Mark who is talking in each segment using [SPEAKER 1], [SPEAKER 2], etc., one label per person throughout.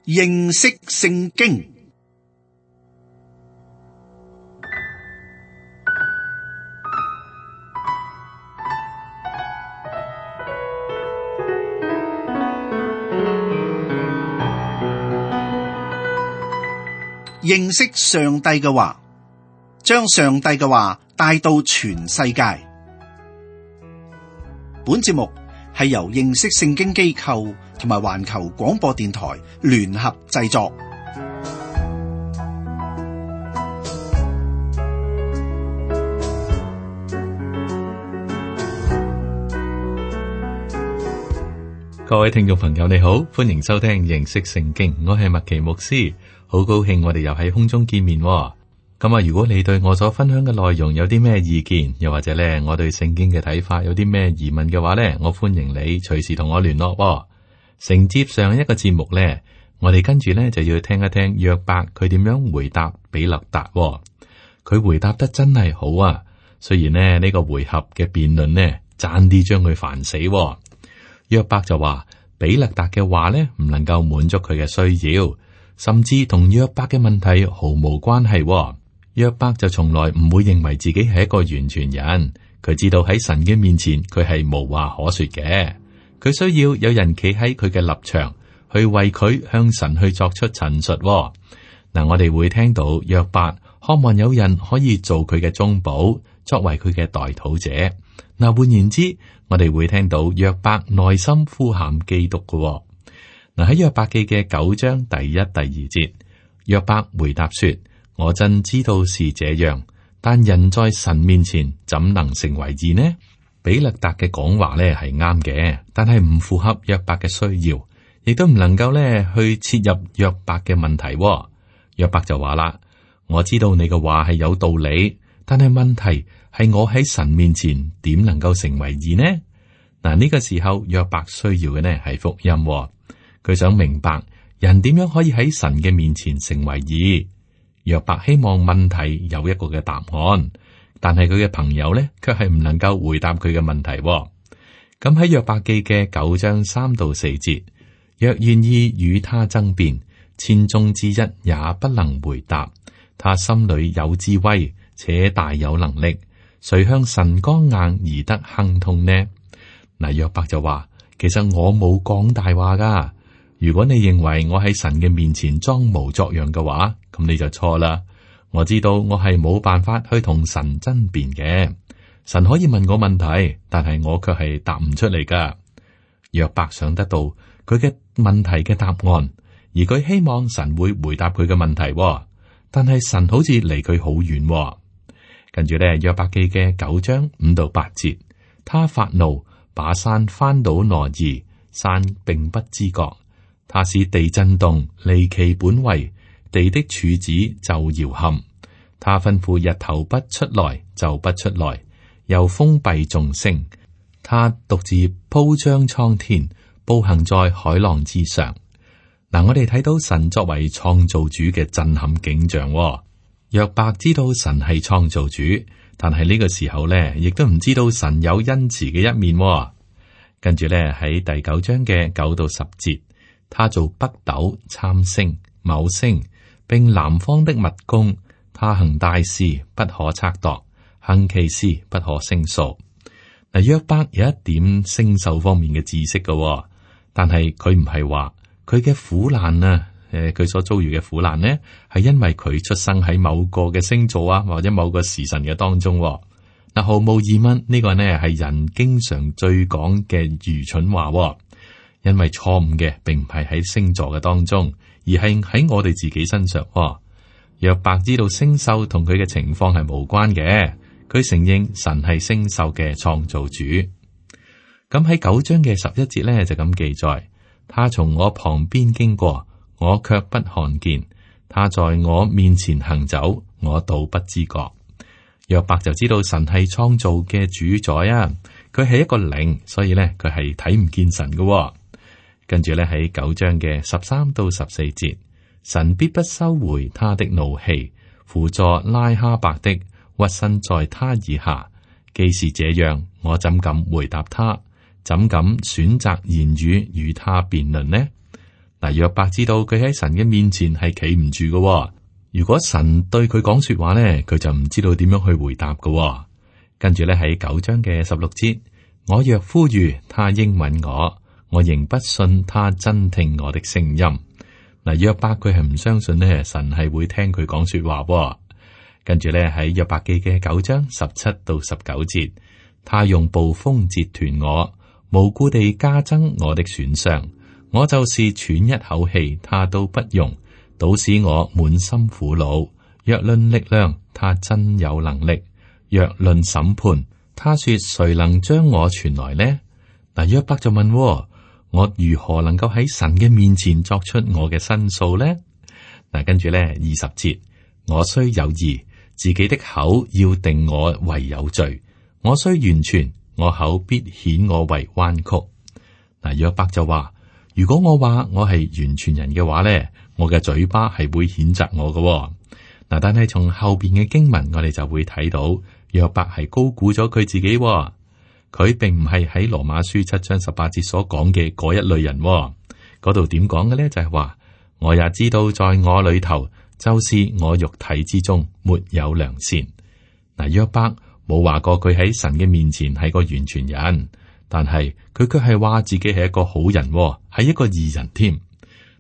[SPEAKER 1] 認識聖經。認識上帝嘅話，將上帝嘅話帶到全世界。本節目係由認識聖經機構同埋環球廣播電台聯合製作。
[SPEAKER 2] 各位聽眾朋友，你好，歡迎收聽認識聖經，我係麥奇牧師，好高興我哋又喺空中見面。咁如果你對我所分享嘅內容有啲咩意見，又或者咧我對聖經嘅睇法有啲咩疑問嘅話咧，我歡迎你隨時同我聯絡。承接上一個節目咧，我哋跟住咧就要聽一聽約伯佢點樣回答比勒達。佢回答得真係好啊，雖然呢個回合嘅辯論呢，差啲將佢煩死。約伯就話比勒達嘅話呢，唔能夠滿足佢嘅需要，甚至同約伯嘅問題毫無關係。約伯就從來唔會認為自己係一個完全人，佢知道喺神嘅面前佢係無話可說嘅，佢需要有人企喺佢嘅立場去為佢向神去作出陳述。嗱，我哋會聽到約伯渴望有人可以做佢嘅中保，作為佢嘅代禱者。嗱，換言之，我哋會聽到約伯內心呼喊基督嘅。嗱，喺約伯記嘅9章第1、第2節，約伯回答說：我真知道是這樣，但人在神面前怎能成為義呢？比勒達嘅講話咧係啱嘅，但係唔符合約伯嘅需要，亦都唔能夠咧去切入約伯嘅問題。約伯就話啦：我知道你嘅話係有道理，但係問題係我喺神面前點能夠成為義呢？嗱，呢個時候約伯需要嘅呢係福音，佢想明白人點樣可以喺神嘅面前成為義。約伯希望問題有一個嘅答案，但係佢嘅朋友呢卻係唔能夠回答佢嘅問題。咁喺約伯記嘅9章3到4節，若願意與他爭辯，千中之一也不能回答。他心裏有智慧，且大有能力，誰向神剛硬而得亨通呢？嗱，約伯就話：其實我冇講大話噶。如果你認為我喺神嘅面前裝模作樣嘅話，咁你就錯啦。我知道我係冇辦法去同神爭辯嘅。神可以問我問題，但係我卻係答唔出嚟噶。約伯想得到佢嘅問題嘅答案，而佢希望神會回答佢嘅問題，但係神好似離佢好遠。跟住咧，約伯記嘅9章5到8節，他發怒，把山翻倒挪移，山並不知覺。他使地震動，離其本位，地的柱子就搖撼。他吩咐日頭不出來，就不出來，又封閉眾星。他獨自鋪張蒼天，步行在海浪之上。嗱，我哋睇到神作為創造主嘅震撼景象。約伯知道神係創造主，但係呢個時候咧，亦都唔知道神有恩慈嘅一面。跟住咧，喺第9章嘅9到10節。他做北斗、參星、昴星，並南方的密宮。他行大事，不可測度；行奇事，不可勝數。嗱，約伯有一點星宿方面嘅知識嘅，但係佢唔係話佢嘅苦難啊，佢所遭遇嘅苦難呢，係因為佢出生喺某個嘅星座啊，或者某個時辰嘅當中。嗱，毫無疑問，呢個呢係人經常最講嘅愚蠢話。因為錯誤嘅並唔係喺星座嘅當中，而係喺我哋自己身上。約伯知道星宿同佢嘅情況係無關嘅，佢承認神係星宿嘅創造主。咁喺9章嘅11節呢，就咁記載：他從我旁邊經過，我卻不看見；他在我面前行走，我倒不知覺。約伯就知道神係創造嘅主宰啊，佢係一個靈，所以呢，佢係睇唔見神嘅。跟住咧，喺9章嘅13到14節，神必不收回他的怒氣，輔助拉哈伯的屈身在他以下。既是這樣，我怎敢回答他？怎敢選擇言語與他辯論呢？嗱，約伯知道佢喺神嘅面前係企唔住嘅。如果神對佢講說話咧，佢就唔知道點樣去回答嘅。跟住咧喺9章嘅16節，我若呼籲，他應允我，我仍不信他真聽我的聲音。嗱，約伯佢係唔相信咧，神係會聽佢講說話。跟住咧喺約伯記嘅9章17到19節，他用暴風折斷我，無故地加增我的損傷。我就是喘一口氣，他都不容，倒使我滿心苦惱。若論力量，他真有能力；若論審判，他說誰能將我傳來呢？嗱，約伯就問：我如何能夠喺神嘅面前作出我嘅申訴呢？嗱，跟住咧20節，我雖有義，自己的口要定我為有罪；我雖完全，我口必顯我為彎曲。嗱，約伯就話：如果我話我係完全人嘅話咧，我嘅嘴巴係會譴責我嘅。嗱，但係從後邊嘅經文，我哋就會睇到約伯係高估咗佢自己。佢並唔係喺羅馬書7章18節所講嘅嗰一類人。嗰度點講嘅咧？就係話，我也知道在我裏頭，就是我肉體之中沒有良善。嗱，約伯冇話過佢喺神嘅面前係個完全人，但係佢卻係話自己係一個好人，係一個義人添。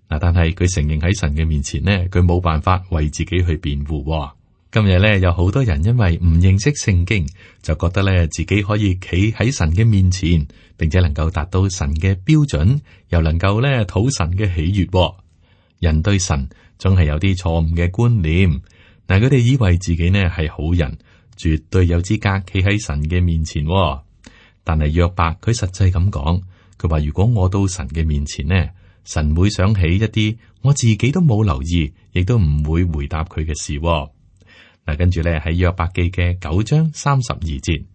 [SPEAKER 2] 嗱，但係佢承認喺神嘅面前呢，佢冇辦法為自己去辯護。今日咧有好多人因為唔認識聖經，就覺得咧自己可以企喺神嘅面前，並且能夠達到神嘅標準，又能夠咧討神嘅喜悅。人對神總係有啲錯誤嘅觀念。嗱，佢哋以為自己呢係好人，絕對有資格企喺神嘅面前。但係約伯佢實際咁講，佢話如果我到神嘅面前呢，神會想起一啲我自己都冇留意，亦都唔會回答佢嘅事。嗱，跟住咧喺約伯記嘅9章32節，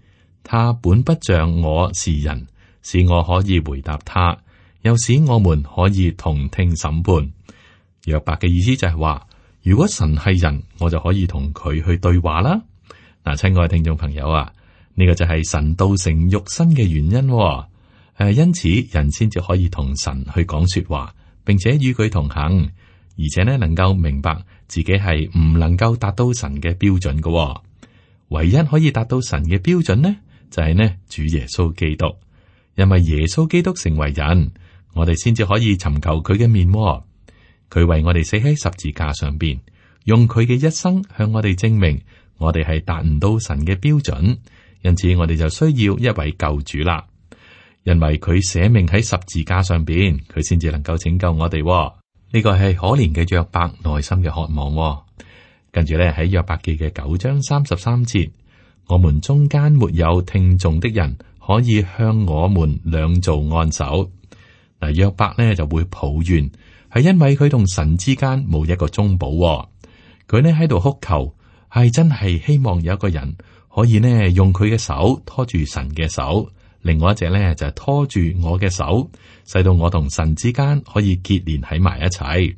[SPEAKER 2] 他本不像我是人，使我可以回答他，又使我們可以同聽審判。約伯嘅意思就係話，如果神係人，我就可以同佢去對話啦。嗱，親愛嘅聽眾朋友啊，呢個就係神道成肉身嘅原因。因此人先至可以同神去講說話，並且與佢同行，而且呢能夠明白自己係唔能夠達到神嘅標準嘅。唯一可以達到神嘅標準呢，就係呢主耶穌基督。因為耶穌基督成為人，我哋先至可以尋求佢嘅面。佢為我哋死喺十字架上邊，用佢嘅一生向我哋證明我哋係達唔到神嘅標準，因此我哋就需要一位救主啦。因為佢捨命喺十字架上邊，佢先至能夠拯救我哋。呢個係可憐嘅約伯內心嘅渴望。跟住咧喺約伯記嘅9章33節，我們中間沒有聽眾的人可以向我們兩造按手。嗱，約伯呢就會抱怨，係因為佢同神之間冇一個中保。佢呢喺度哭求，係真係希望有一個人可以呢用佢嘅手拖住神嘅手，另外一隻呢就係拖住我嘅手，使到我同神之間可以結連喺埋一齊。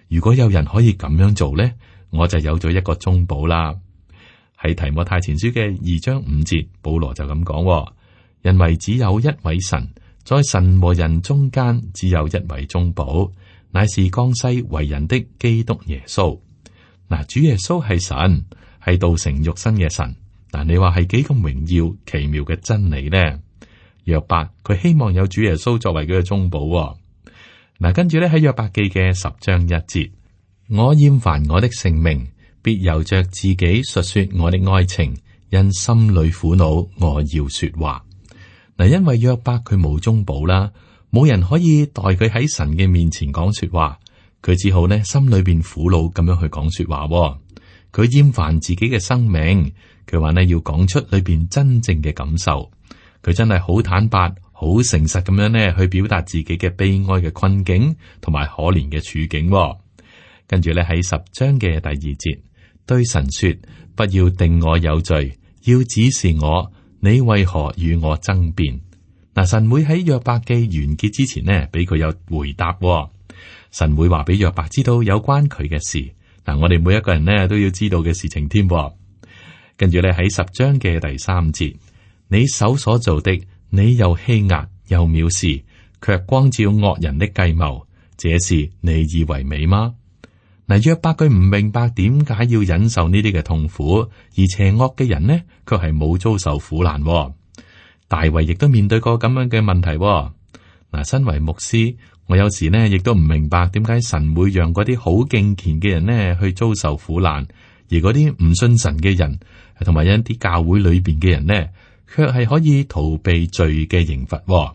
[SPEAKER 2] 如果有人可以咁樣做呢，我就有咗一個中保啦。喺提摩太前書嘅2章5節，保羅就咁講，因為只有一位神，在神和人中間只有一位中保，乃是降世為人的基督耶穌。嗱，主耶穌係神，係道成肉身嘅神。嗱，你話係幾咁榮耀奇妙嘅真理呢？約伯佢希望有主耶穌作為佢嘅中保。嗱，跟住咧喺約伯記嘅10章1節，我厭煩我的性命，必由着自己述說我的哀情，因心裏苦惱，我要說話。嗱，因為約伯佢冇中保啦，冇人可以代佢喺神嘅面前講說話，佢只好呢心裏邊苦惱咁樣去講說話。佢厭煩自己嘅生命，佢話呢要講出裏邊真正嘅感受。佢真係好坦白、好誠實咁樣呢去表達自己嘅悲哀嘅困境同埋可憐嘅處境。跟住咧喺10章嘅第2節，對神說：不要定我有罪，要指示我，你為何與我爭辯？嗱，神會喺約伯記完結之前呢，俾佢有回答。神會話俾約伯知道有關佢嘅事。嗱，我哋每一個人呢都要知道嘅事情添。跟住咧喺10章嘅第3節，你手所做的，你又欺壓又藐視，卻光照惡人的計謀，這事你以為美嗎？嗱，約伯佢唔明白點解要忍受呢啲嘅痛苦，而邪惡嘅人呢，卻係冇遭受苦難。大衛亦都面對過咁樣嘅問題。嗱，身為牧師，我有時呢亦都唔明白點解神會讓嗰啲好敬虔嘅人呢去遭受苦難，而嗰啲唔信神嘅人，同埋一啲教會裏邊嘅人呢，卻係可以逃避罪嘅刑罰。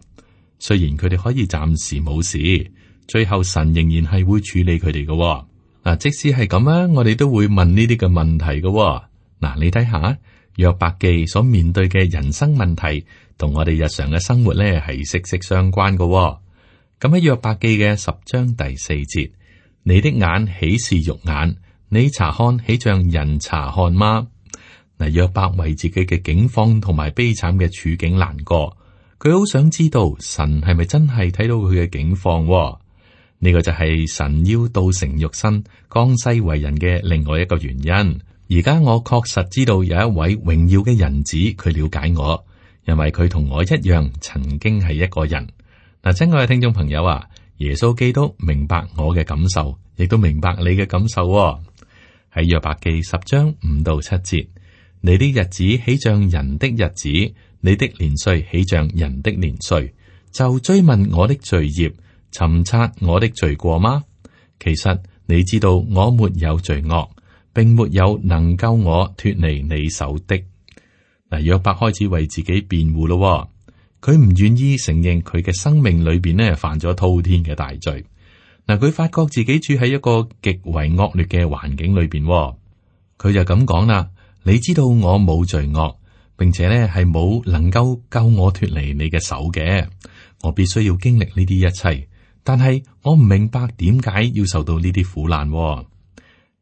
[SPEAKER 2] 雖然佢哋可以暫時冇事，最後神仍然係會處理佢哋嘅。嗱，即使係咁啊，我哋都會問呢啲嘅問題嘅。嗱，你睇下約伯記所面對嘅人生問題，同我哋日常嘅生活呢係息息相關嘅。咁喺約伯記嘅10章第4節，你的眼豈是肉眼？你查看豈像人查看嗎？嗱，約伯為自己嘅境況同埋悲慘嘅處境難過，佢好想知道神係咪真係睇到佢嘅境況？呢個就係神要道成肉身降世為人嘅另外一個原因。而家我確實知道有一位榮耀嘅人子，佢了解我，因為佢同我一樣曾經係一個人。嗱，親愛嘅聽眾朋友啊，耶穌基督明白我嘅感受，亦都明白你嘅感受。喺約伯記10章5到7節，你的日子豈像人的日子，你的年歲豈像人的年歲，就追問我的罪孽，尋察我的罪過嗎？其實你知道我沒有罪惡，並沒有能救我脫離你手的。嗱，約伯開始為自己辯護咯。佢唔願意承認佢嘅生命裏邊呢犯咗滔天嘅大罪。嗱，佢發覺自己處喺一個極為惡劣嘅環境裏邊，佢就咁講啦：你知道我冇罪惡，並且呢係冇能夠救我脫離你嘅手嘅。我必須要經歷呢啲一切，但係我唔明白點解要受到呢啲苦難。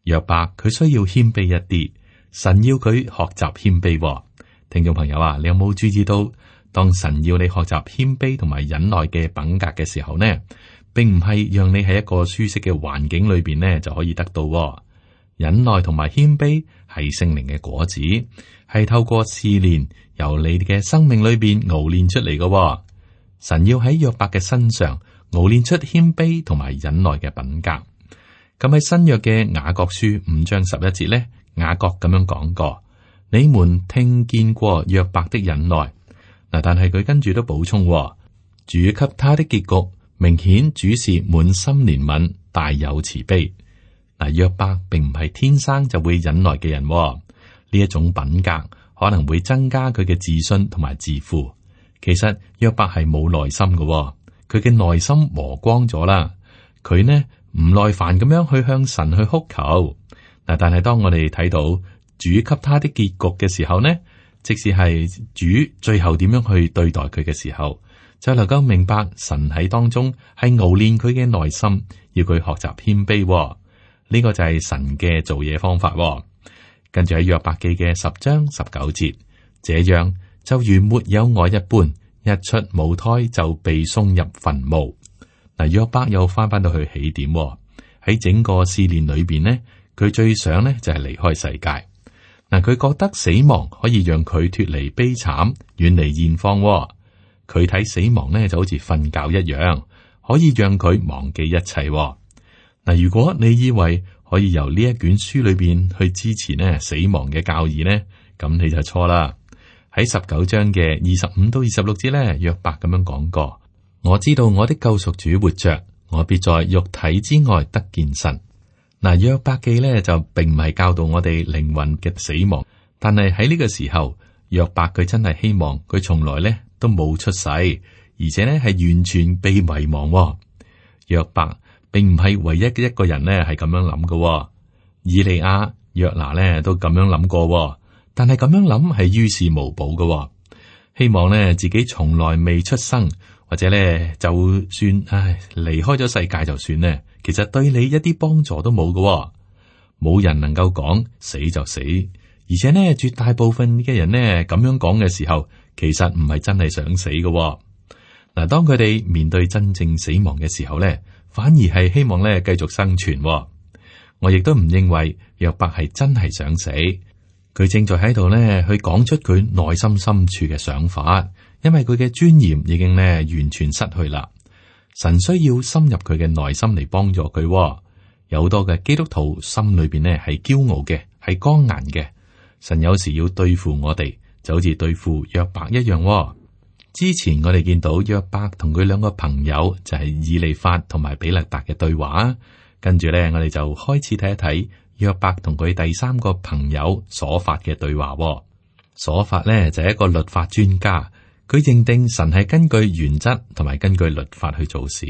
[SPEAKER 2] 約伯佢需要謙卑一啲，神要佢學習謙卑。聽眾朋友啊，你有冇注意到？當神要你學習謙卑同埋忍耐嘅品格嘅時候呢，並唔係讓你喺一個舒適嘅環境裏邊呢就可以得到。忍耐同埋謙卑係聖靈嘅果子，係透過試煉由你嘅生命裏邊熬練出嚟嘅。神要喺約伯嘅身上熬練出謙卑同埋忍耐嘅品格。咁喺新約嘅雅各書5章11節呢，雅各咁樣講過：你們聽見過約伯的忍耐。但係佢跟住都補充，主給他的結局，明顯主是滿心憐憫，大有慈悲。嗱，約伯並唔係天生就會忍耐嘅人，呢一種品格可能會增加佢嘅自信同埋自負。其實約伯係冇耐心嘅，佢嘅內心磨光咗啦。佢呢唔耐煩咁樣去向神去哭求。但係當我哋睇到主給他的結局嘅時候呢，即使係主最後點樣去對待佢嘅時候，就能夠明白神喺當中係熬練佢嘅內心，要佢學習謙卑。呢個就係神嘅做嘢方法。跟住喺約伯記嘅10章19節，這樣就如沒有愛一般，一出母胎就被送入墳墓。嗱，約伯又翻到去起點，喺整個試煉裏邊呢，佢最想呢就係離開世界。嗱，佢覺得死亡可以讓佢脫離悲慘，遠離現況。佢睇死亡呢就好似瞓覺一樣，可以讓佢忘記一切。嗱，如果你以為可以由呢一卷書裏邊去支持呢死亡嘅教義呢，咁你就錯啦。喺19章嘅25到26節呢，約伯咁樣講過：我知道我的救贖主活着，我必在肉體之外得見神。嗱，約伯記咧就並唔係教導我哋靈魂嘅死亡，但係喺呢個時候，約伯佢真係希望佢從來咧都冇出世，而且咧係完全被遺忘。約伯並唔係唯一嘅一個人咧係咁樣諗嘅，以利亞、約拿咧都咁樣諗過，但係咁樣諗係於事無補嘅。希望咧自己從來未出生，或者咧就算離開咗世界就算咧。其實對你一啲幫助都冇嘅，冇人能夠講死就死，而且呢，絕大部分嘅人呢咁樣講嘅時候，其實唔係真係想死嘅。嗱，當佢哋面對真正死亡嘅時候呢，反而係希望呢繼續生存。我亦都唔認為約伯係真係想死，佢正在喺度呢去講出佢內心深處嘅想法，因為佢嘅尊嚴已經呢完全失去啦。神需要深入佢嘅內心嚟幫助佢。有好多嘅基督徒心裏邊呢係驕傲嘅，係剛硬嘅。神有時要對付我哋，就好似對付約伯一樣。之前我哋見到約伯同佢兩個朋友就係以利法同埋比勒達嘅對話，跟住咧我哋就開始睇一睇約伯同佢第三個朋友所發嘅對話。所發咧就係一個律法專家，佢認定神係根據原則同埋根據律法去做事，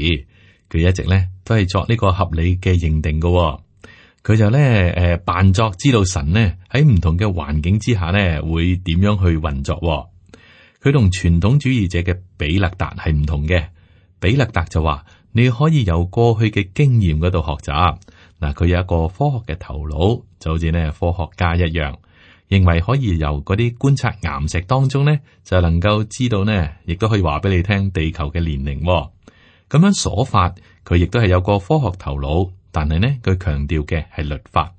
[SPEAKER 2] 佢一直咧都係作呢個合理嘅認定嘅。佢就咧扮作知道神呢喺唔同嘅環境之下呢會點樣去運作。佢同傳統主義者嘅比勒達係唔同嘅。比勒達就話你可以由過去嘅經驗嗰度學習。嗱，佢有一個科學嘅頭腦，就好似呢科學家一樣，認為可以由嗰啲觀察岩石當中呢就能夠知道呢，亦都可以話俾你聽地球嘅年齡。咁樣所法，佢亦都係有個科學頭腦，但係呢佢強調嘅係律法。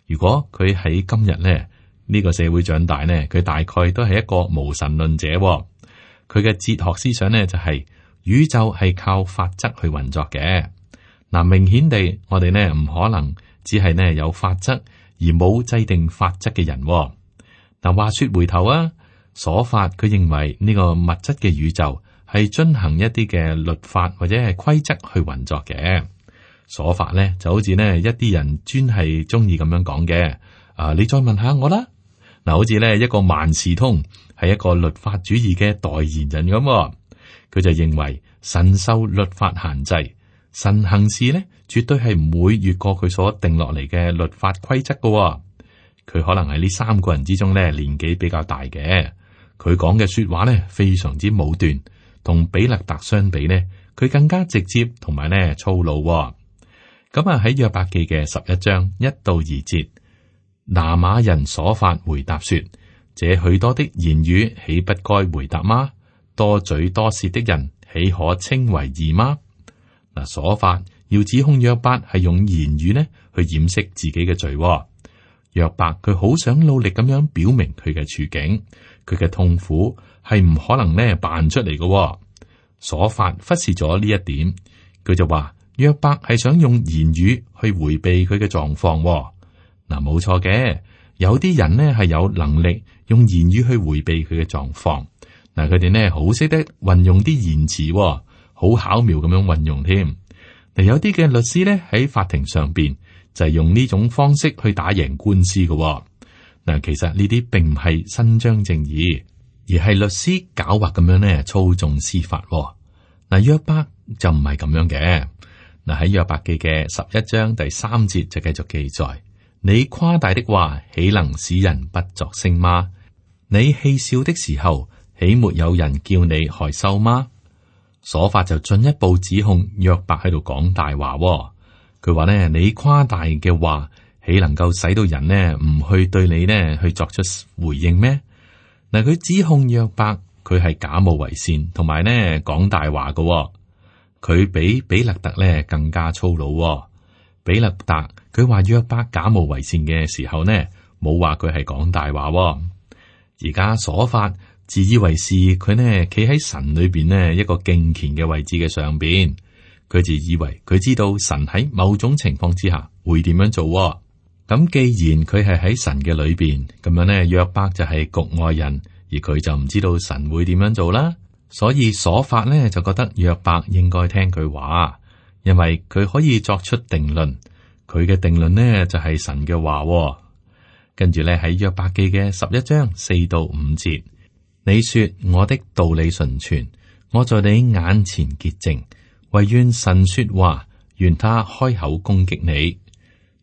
[SPEAKER 2] 如果佢喺今日呢個社會長大呢，佢大概都係一個無神論者。佢嘅哲學思想呢就係宇宙係靠法則去運作嘅。嗱，明顯地，我哋呢唔可能只係呢有法則而冇制定法則嘅人。嗱，話說回頭啊，所法佢認為呢個物質嘅宇宙係遵行一啲嘅律法或者係規則去運作嘅。所法呢就好似呢一啲人專係中意咁樣講嘅。你再問下我啦。嗱，好似呢一個萬事通係一個律法主義嘅代言人咁，佢就認為神受律法限制，神行事呢絕對係唔會越過佢所定落嚟嘅律法規則嘅。佢可能係呢三個人之中呢年紀比較大嘅，佢講嘅說話呢非常之武斷，同比勒達相比呢，佢更加直接同埋呢粗魯。咁喺約伯記嘅11章1到2節。拿瑪人所發回答說：這許多的言語，豈不該回答嗎？多嘴多舌的人，豈可稱為義嗎？嗱，所發要指控約伯係用言語呢去掩飾自己嘅罪。約伯佢好想努力咁樣表明佢嘅處境，佢嘅痛苦係唔可能呢扮出嚟嘅。所發忽視咗呢一點，佢就話約伯係想用言語去回避佢嘅狀況。嗱，冇錯嘅，有啲人呢係有能力用言語去回避佢嘅狀況。嗱，佢哋呢好識得運用啲言辭，好巧妙咁樣運用添。嗱，有啲嘅律師呢喺法庭上邊就係用呢種方式去打贏官司嘅。嗱，其實呢啲並唔係伸張正義，而係律師狡猾咁樣呢操縱司法。嗱，約伯就唔係咁樣嘅。嗱，喺約伯記嘅11章第3節就繼續記載。你誇大的話，豈能使人不作聲嗎？你戲笑的時候，豈沒有人叫你害羞嗎？所法就進一步指控約伯喺度講大話。佢話呢，你誇大嘅話，豈能夠使到人呢唔去對你呢去作出回應咩？嗱，佢指控約伯，佢係假冒為善，同埋呢講大話嘅。佢比比勒達呢更加粗魯。比勒達佢話約伯假冒為善嘅時候呢，冇話佢係講大話。而家所法自以為是，佢呢企喺神裏邊呢一個敬虔嘅位置嘅上邊，佢就以為佢知道神喺某種情況之下會點樣做。咁既然佢係喺神嘅裏邊，咁樣呢約伯就係局外人，而佢就唔知道神會點樣做啦。所以所法呢就覺得約伯應該聽佢話。因為佢可以作出定論，佢嘅定論呢就係神嘅話。跟住咧喺約伯記嘅11章4到5節，你說我的道理純全，我在你眼前潔淨，惟願神說話，願他開口攻擊你。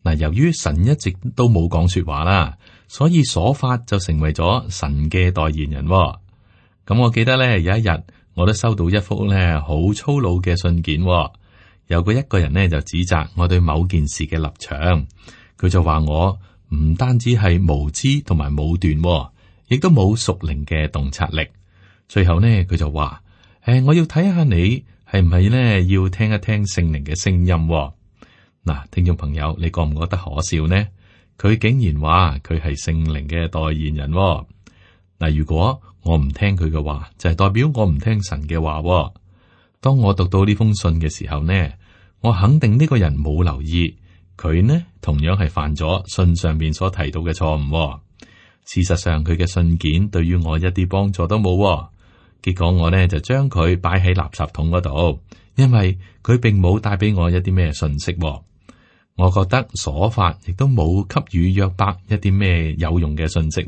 [SPEAKER 2] 嗱，由於神一直都冇講說話啦，所以所法就成為咗神嘅代言人。咁我記得咧有一日，我都收到一封咧好粗魯嘅信件。有一個人呢就指責我對某件事嘅立場，佢就話我唔單止係無知同埋武斷，亦都冇屬靈嘅洞察力。最後呢佢就話：我要睇下你係唔係呢要聽一聽聖靈嘅聲音。嗱，聽眾朋友，你覺唔覺得可笑呢？佢竟然話佢係聖靈嘅代言人。嗱，如果我唔聽佢嘅話，就係代表我唔聽神嘅話。當我讀到呢封信嘅時候呢，我肯定呢個人冇留意佢呢，同樣係犯咗信上面所提到嘅錯誤。事實上，佢嘅信件對於我一啲幫助都冇。結果我呢就將佢擺喺垃圾桶嗰度，因為佢並冇帶俾我一啲咩信息。我覺得瑣法亦都冇給予約伯一啲咩有用嘅信息。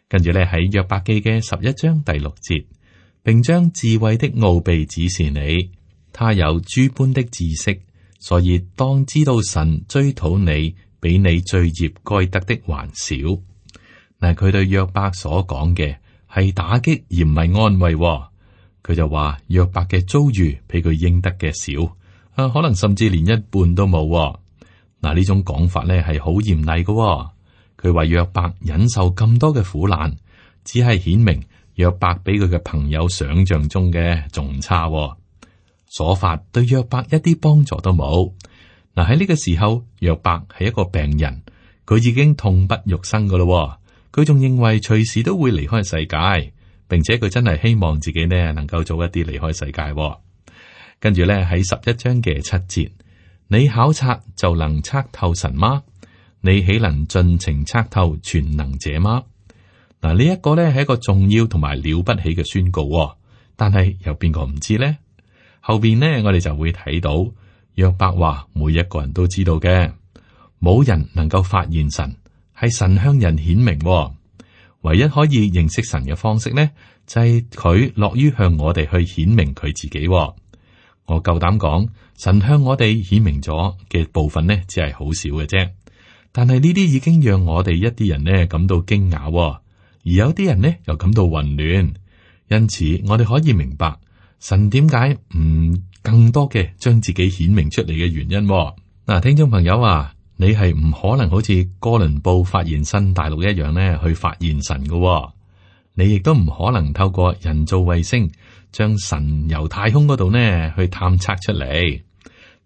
[SPEAKER 2] 跟住咧喺約伯記嘅11章第6節，並將智慧的奧秘指示你，他有諸般的知識，所以當知道神追討你，比你罪孽該得的還少。嗱，佢對約伯所講嘅係打擊而唔係安慰。佢就話約伯嘅遭遇比佢應得嘅少，可能甚至連一半都冇。嗱，呢種講法咧係好嚴厲嘅。佢話約伯忍受咁多嘅苦難，只係顯明約伯比佢嘅朋友想象中嘅仲差。瑣法對約伯一啲幫助都冇。嗱，喺呢個時候，約伯係一個病人，佢已經痛不欲生噶咯。佢仲認為隨時都會離開世界，並且佢真係希望自己呢能夠早一啲離開世界。跟住咧喺11章嘅7節，你考察就能測透神嗎？你豈能盡情測透全能者嗎？嗱，呢一個咧係一個重要同埋了不起嘅宣告，但係有邊個唔知呢？後邊呢，我哋就會睇到約伯話，每一個人都知道嘅，冇人能夠發現神，係神向人顯明。唯一可以認識神嘅方式呢，就係佢樂於向我哋去顯明佢自己。我夠膽講，神向我哋顯明咗嘅部分呢，只係好少嘅啫。但係呢啲已經讓我哋一啲人呢感到驚訝，而有啲人呢又感到混亂。因此，我哋可以明白神點解唔更多嘅將自己顯明出嚟嘅原因。嗱，聽眾朋友啊，你係唔可能好似哥倫布發現新大陸一樣呢去發現神嘅。你亦都唔可能透過人造衛星將神由太空嗰度呢去探測出嚟。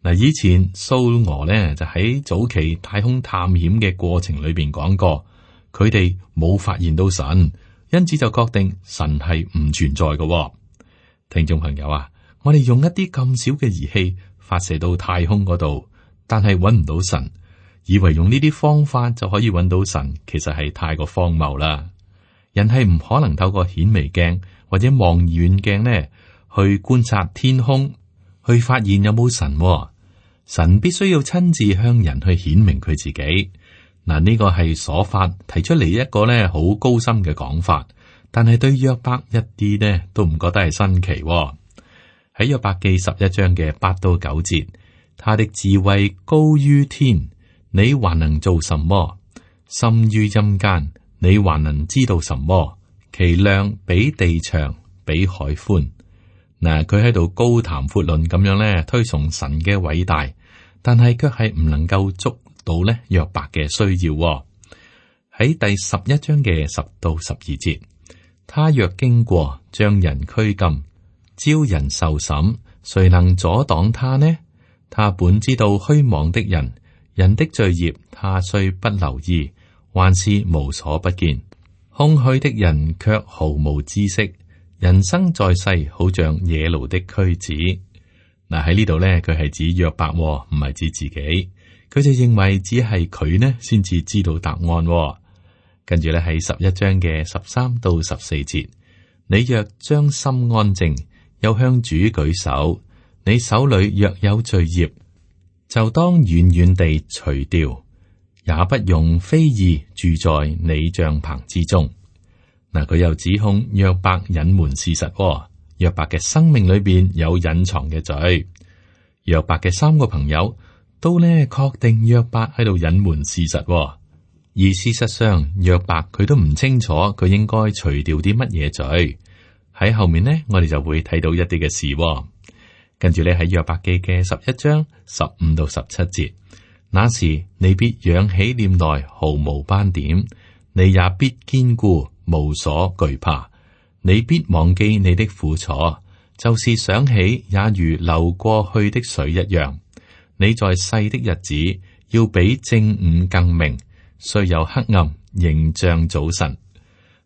[SPEAKER 2] 嗱，以前蘇俄呢就喺早期太空探險嘅過程裏邊講過，佢哋冇發現到神，因此就確定神係唔存在嘅。聽眾朋友啊，我哋用一啲咁少嘅儀器發射到太空嗰度，但係揾唔到神，以為用呢啲方法就可以揾到神，其實係太過荒謬啦。人係唔可能透過顯微鏡或者望遠鏡呢去觀察天空，去發現有冇神。神必須要親自向人去顯明佢自己。嗱，呢個係瑣法提出嚟一個呢好高深嘅講法，但係對約伯一啲呢都唔覺得係新奇。喺約伯記11章嘅8到9節，他的智慧高於天，你還能做什麼？深於陰間，你還能知道什麼？其量比地長，比海寬。嗱，佢喺度高談闊論咁樣咧，推崇神嘅偉大，但係卻係唔能夠捉到咧約伯嘅需要。喺第11章嘅10到12節，他若經過，將人拘禁，招人受審，誰能阻擋他呢？他本知道虛妄的人，人的罪孽，他雖不留意，還是無所不見。空虛的人卻毫無知識。人生在世，好像野驢的駒子。嗱，喺呢度咧，佢係指約伯，唔係指自己。佢就認為只係佢呢先至知道答案。跟住咧係11章嘅13到14節，你若將心安靜，又向主舉手，你手裏若有罪孽，就當遠遠地除掉，也不用非義住在你帳棚之中。嗱，佢又指控約伯隱瞞事實。約伯嘅生命裏邊有隱藏嘅罪。約伯嘅3個朋友都呢確定約伯喺度隱瞞事實，而事實上約伯佢都唔清楚佢應該除掉啲乜嘢罪。喺後面呢，我哋就會睇到一啲嘅事。跟住咧喺約伯記嘅11章15到17節，那時你必仰起臉來毫無斑點，你也必堅固，無所懼怕。你必忘記你的苦楚，就是想起也如流過去的水一樣。你在世的日子要比正午更明，雖有黑暗，仍像早晨。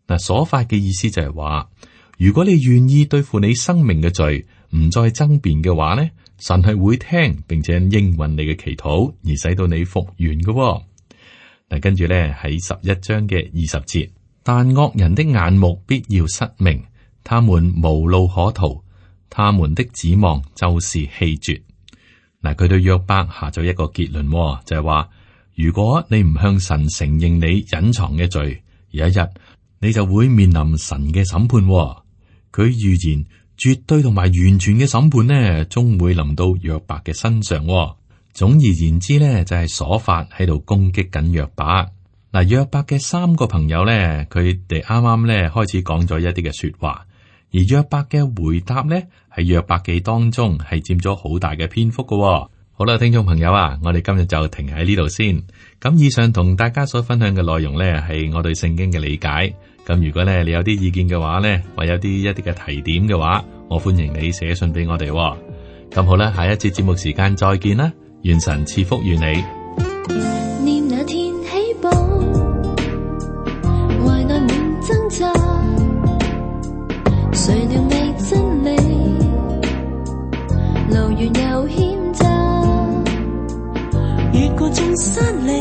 [SPEAKER 2] 嗱，所發嘅意思就係話，如果你願意對付你生命嘅罪，唔再爭辯嘅話呢，神係會聽，並且應允你嘅祈禱，而使到你復原嘅。嗱，跟住咧喺11章嘅20節，但惡人的眼目必要失明，他們無路可逃，他們的指望就是氣絕。嗱，佢對約伯下咗一個結論，就係話，如果你唔向神承認你隱藏嘅罪，有一日你就會面臨神嘅審判。佢預言絕對同埋完全嘅審判呢，終會臨到約伯嘅身上。總而言之呢，就係瑣法喺度攻擊緊約伯。嗱，約伯嘅3個朋友呢，佢哋啱啱呢開始講咗一啲嘅說話，而約伯嘅回答呢，喺約伯記當中係佔咗好大嘅篇幅㗎。好啦，聽眾朋友啊，我哋今日就停喺呢度先。咁以上同大家所分享嘅內容呢，係我對聖經嘅理解。咁如果呢你有啲意見嘅話呢，或有一啲嘅提點嘅話，我歡迎你寫信俾我哋。咁好啦，下一節節目時間再見啦，願神賜福與你。
[SPEAKER 3] 念那天起步，懷內滿掙扎，誰料覓真理，路遠又險窄，越過眾山嶺，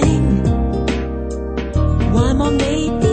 [SPEAKER 3] 還望你。